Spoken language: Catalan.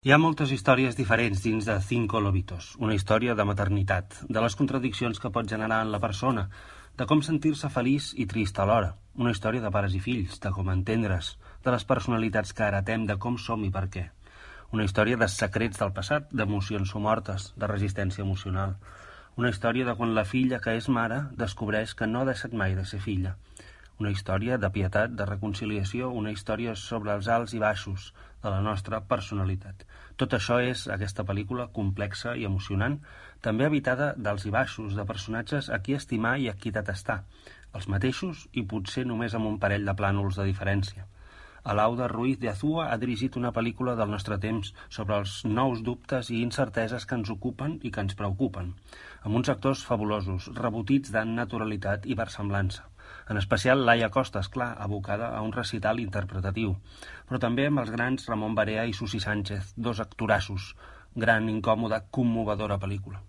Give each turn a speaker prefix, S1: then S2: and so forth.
S1: Hi ha moltes històries diferents dins de Cinco Lobitos, una història de maternitat, de les contradiccions que pot generar en la persona, de com sentir-se feliç i trist alhora, una història de pares i fills, de com entendre's, de les personalitats que heretem, de com som i per què. Una història de secrets del passat, d'emocions somortes, de resistència emocional. Una història de quan la filla que és mare descobreix que no ha deixat mai de ser filla. Una història de pietat, de reconciliació, una història sobre els alts i baixos de la nostra personalitat. Tot això és, aquesta pel·lícula, complexa i emocionant, també habitada d'alts i baixos, de personatges a qui estimar i a qui detestar, els mateixos i potser només amb un parell de plànols de diferència. Alauda Ruiz de Azúa ha dirigit una pel·lícula del nostre temps sobre els nous dubtes i incerteses que ens ocupen i que ens preocupen, amb uns actors fabulosos, rebotits de naturalitat i versemblança. En especial Laia Costa, esclar, abocada a un recital interpretatiu, però també amb els grans Ramon Barea i Susi Sánchez, dos actorassos. Gran, incòmoda, commovedora pel·lícula.